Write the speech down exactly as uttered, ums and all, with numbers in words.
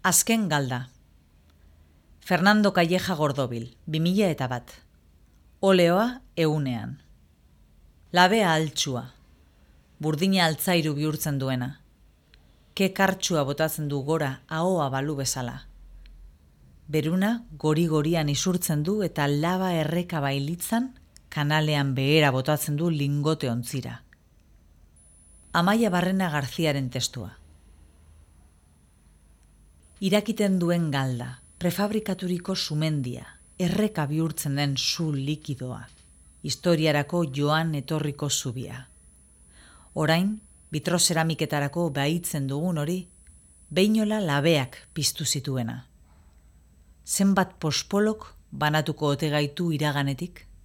Azken galda. Fernando Calleja Gordobil, bi mila eta bat. Oleoa ehunean. Labea altxua. Burdina altzairu bihurtzen duena. Ke kartxua botatzen du gora ahoa balu bezala. Beruna gori-gorian isurtzen du eta laba erreka bailitzan kanalean behera botatzen du lingote ontzira. Amaia Barrena Garziaren testua. Irakiten duen galda, prefabrikaturiko sumendia, erreka bihurtzen den su likidoa, historiarako joan etorriko zubia. Orain, bitrozeramiketarako behitzen dugun hori, behinola labeak piztu zituena. Zenbat pospolok banatuko ote gaitu iraganetik?